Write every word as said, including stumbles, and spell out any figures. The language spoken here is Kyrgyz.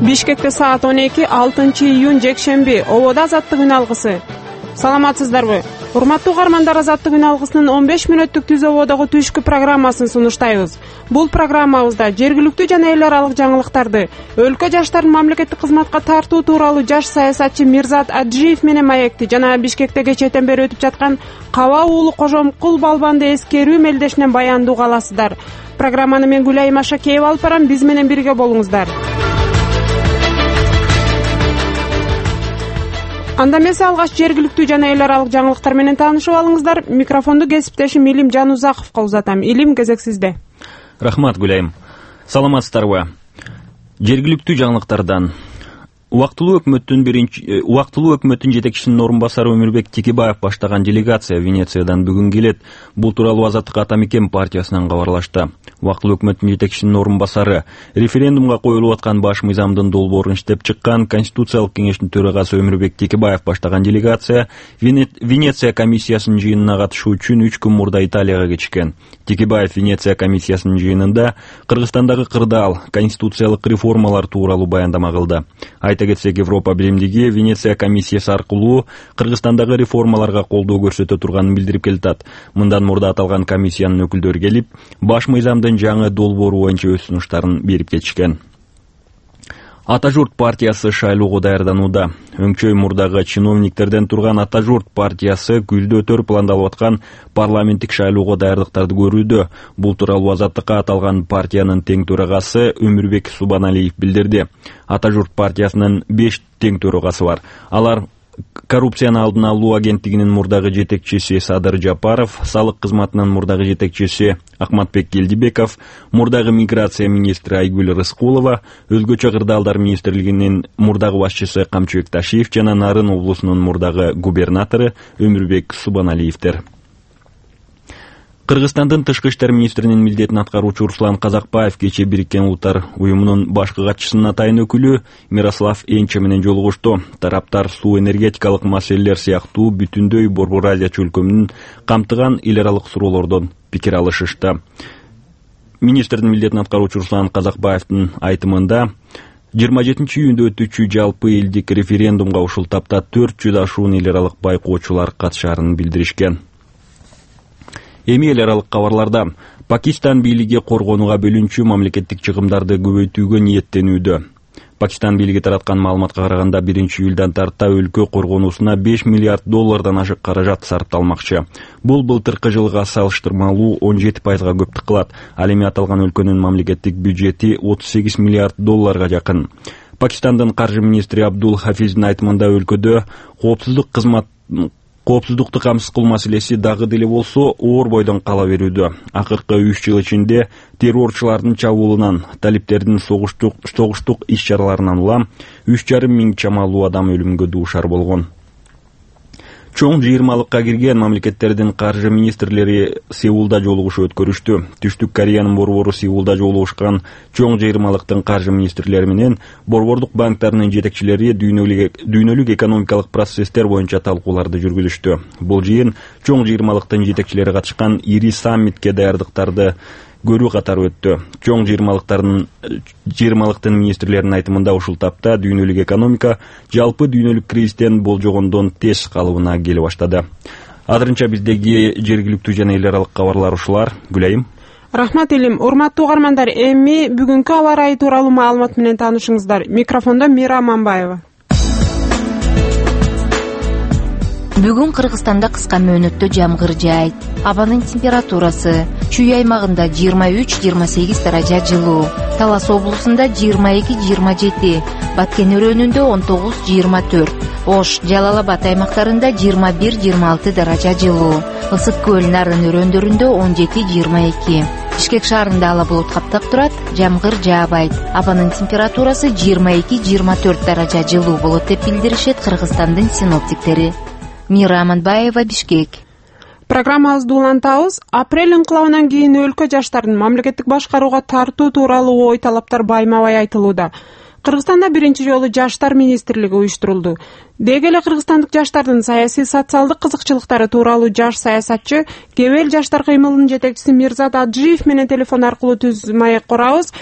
Бишкекте саат он эки алтынчы июнь жекшемби ободо азаттык үн алгысы. Саламатсыздарбы? Урматтуу угармандар, азаттык үн алгысынын он беш мүнөттүк түз ободогу түшкү программасын сунуштайбыз. Бул программабызда жергиликтүү жана эл аралык жаңылыктарды, өлкө жаштарын мамлекеттик кызматка тартуу тууралуу жаш саясатчы Мирзат Аджиев менен маекти жана Бишкекте кечээден бери өтүп жаткан Каба уулу Кожомкул балбанды эскерүү мелдешинен баяндууга аласыздар. Программаны мен Гүлайым Ашакеева алып барам, биз менен бирге болуңуздар. Анда эмесе алгач жергиликтүү жана эл аралык жаңылыктар менен таанышып алыңыздар. Микрофонду кесиптешим Илим Жанузаковго узатам. Илим, кезек сизде. Рахмат, Гүлайым. Саламатсыздарбы? Жергиликтүү жаңылыктардан Убактылуу өкмөттүн биринчи убактылуу өкмөттүн жетекчисинин орун басары Өмүрбек Текебаев баштаган делегация Венециядан бүгүн келет. Бул тууралуу Азаттык ата мекен партиясынан кабарлашты. Убактылуу өкмөттүн жетекчисинин орун басары референдумга коюлуп аткан баш мыйзамдын долбоорун иштеп чыккан Конституциялык кеңештин төрагасы Өмүрбек Текебаев баштаган делегация Венеция комиссиясынын жыйынына катышуу үчүн үч күн мурда Италияга кетишкен. Текебаев Венеция комиссиясынын жыйынында Кыргызстандагы кырдаал, конституциялык реформалар тууралуу баяндама кылды. Айта кетсек, Европа биримдиги Венеция комиссиясы аркылуу Кыргызстандагы реформаларга колдоо көрсөтө турганын билдирип келатат. Мындан мурда аталган комиссиянын өкүлдөрү келип, баш мыйзамдын жаңы долбоору боюнча өз сунуштарын берип кетишкен. Ата журт партиясы шайлоого даярданууда. Өңчөй мурдагы чиновниктерден турган Ата журт партиясы күздө пландалып аткан парламенттик шайлоого даярдыктарды көрүүдө. Бул тууралуу Азаттыкка аталган партиянын тең төрагасы Өмүрбек Субаналиев билдирди. Ата журт партиясынын беш тең төрагасы бар. Алар коррупцияны алдын алуу агенттигинин мурдагы жетекчиси Садыр Жапаров, салык кызматынын мурдагы жетекчиси Акматбек Келдибеков, мурдагы миграция министри Айгүл Рыскулова, өзгөчө кырдаалдар министрлигинин мурдагы башчысы Камчыбек Ташиев жана Нарын облусунун мурдагы губернатору Өмүрбек Субаналиевдер. Кыргызстандын тышкы иштер министринин милдетин аткаруучу Руслан Казакбаев кечээ Бириккен Улуттар уюмунун башкы катчысынын атайын өкүлү Мирослав Энче менен жолугушту. Тараптар суу энергетикалык маселелер сыяктуу бүтүндөй Борбор Азия чөлкөмүн камтыган эл аралык суроолордон пикир алышышты. Министрдин милдетин аткаруучу Руслан Казакбаевдин айтымында жыйырма жетинчи июнда өтүүчү жалпы элдик референдумга ушул тапта төрт жүз ашуун эл аралык байкоочулар катышаарын билдиришкен. Эми эл аралык кабарларда Пакистан бийлиги коргонууга бөлүнчү мамлекеттик чыгымдарды көбөйтүүгө ниеттенүүдө. Пакистан бийлиги тараткан маалыматка караганда биринчи июлдан тарта өлкө коргонуусуна беш миллиард доллардан ашык каражат сарпталмакчы. Бул былтыркы жылга салыштырмалуу он жети пайызга көптүк кылат. Ал эми аталган өлкөнүн мамлекеттик бюджети отуз сегиз миллиард долларга жакын. Пакистандын каржы министри Абдул Хафиздин айтымында өлкөдө коопсуздук кызмат Коопсуздукту камсыз кылуу маселеси дагы деле болсо оор бойдон кала берүүдө. Акыркы үч жыл ичинде террорчулардын чабуулунан, талиптердин согуштук согуштук иш-чараларынан улам үч жарым миң чамалуу адам өлүмгө дуушар болгон. Чоң жыйырмалыкка кирген мамлекеттердин каржы министрлери Сеулда жолугушуу өткөрүштү. Түштүк Кореянын борбору Сеулда жолугушкан чоң жыйырмалыктын каржы министрлери менен борбордук банктарынын жетекчилери дүйнөлүк экономикалык процесстер боюнча талкууларды жүргүзүштү. Бул жыйын чоң жыйырмалыктын жетекчилери катышкан ири саммитке даярдыктарды көрүү катары өттү. Чоң жыйырмалыктардын жыйырмалыктын министрлеринин айтымында ушул тапта дүйнөлүк экономика жалпы дүйнөлүк кризистен болжогондон тез калыбына келе баштады. Азырынча биздеги жергиликтүү жана эл аралык кабарлар ушулар. Гүлайым. Рахмат, Илим. Урматтуу угармандар, эми бүгүнкү аба ырайы тууралуу маалымат менен таанышыңыздар. Микрофондо Мира Аманбаева. Бүгүн Кыргызстанда кыска мөөнөттө жамгыр жаайт. Абанын температурасы Чүй аймагында жыйырма үч жыйырма сегиз даража жылуу, Талас облусунда жыйырма эки жыйырма жети, Баткен өрөөнүндө он тогуз жыйырма төрт, Ош, Жалал Абад аймактарында жыйырма бир жыйырма алты даража жылуу, Ысык көл, Нарын өрөөндөрүндө он жети жыйырма эки. Бишкек шаарында ала булут каптап турат, жамгыр жаабайт. Абанын температурасы жыйырма эки жыйырма төрт даража жылуу болот деп билдиришет Кыргызстандын синоптиктери. Мира Аманбаева, Бишкек. Программабызды улантабыз. Апрель инкылабынан кийин өлкө жаштарын мамлекеттик башкарууга тартуу тууралуу ой талаптар байма-бай айтылууда. Кыргызстанда биринчи жолу жаштар министрлиги уюштурулду. Деги эле кыргызстандык жаштардын саясий социалдык кызыкчылыктары тууралуу жаш саясатчы, Кебел жаштар кыймылынын жетекчиси Мирзат Аджиев менен телефон аркылуу түз маек курабыз.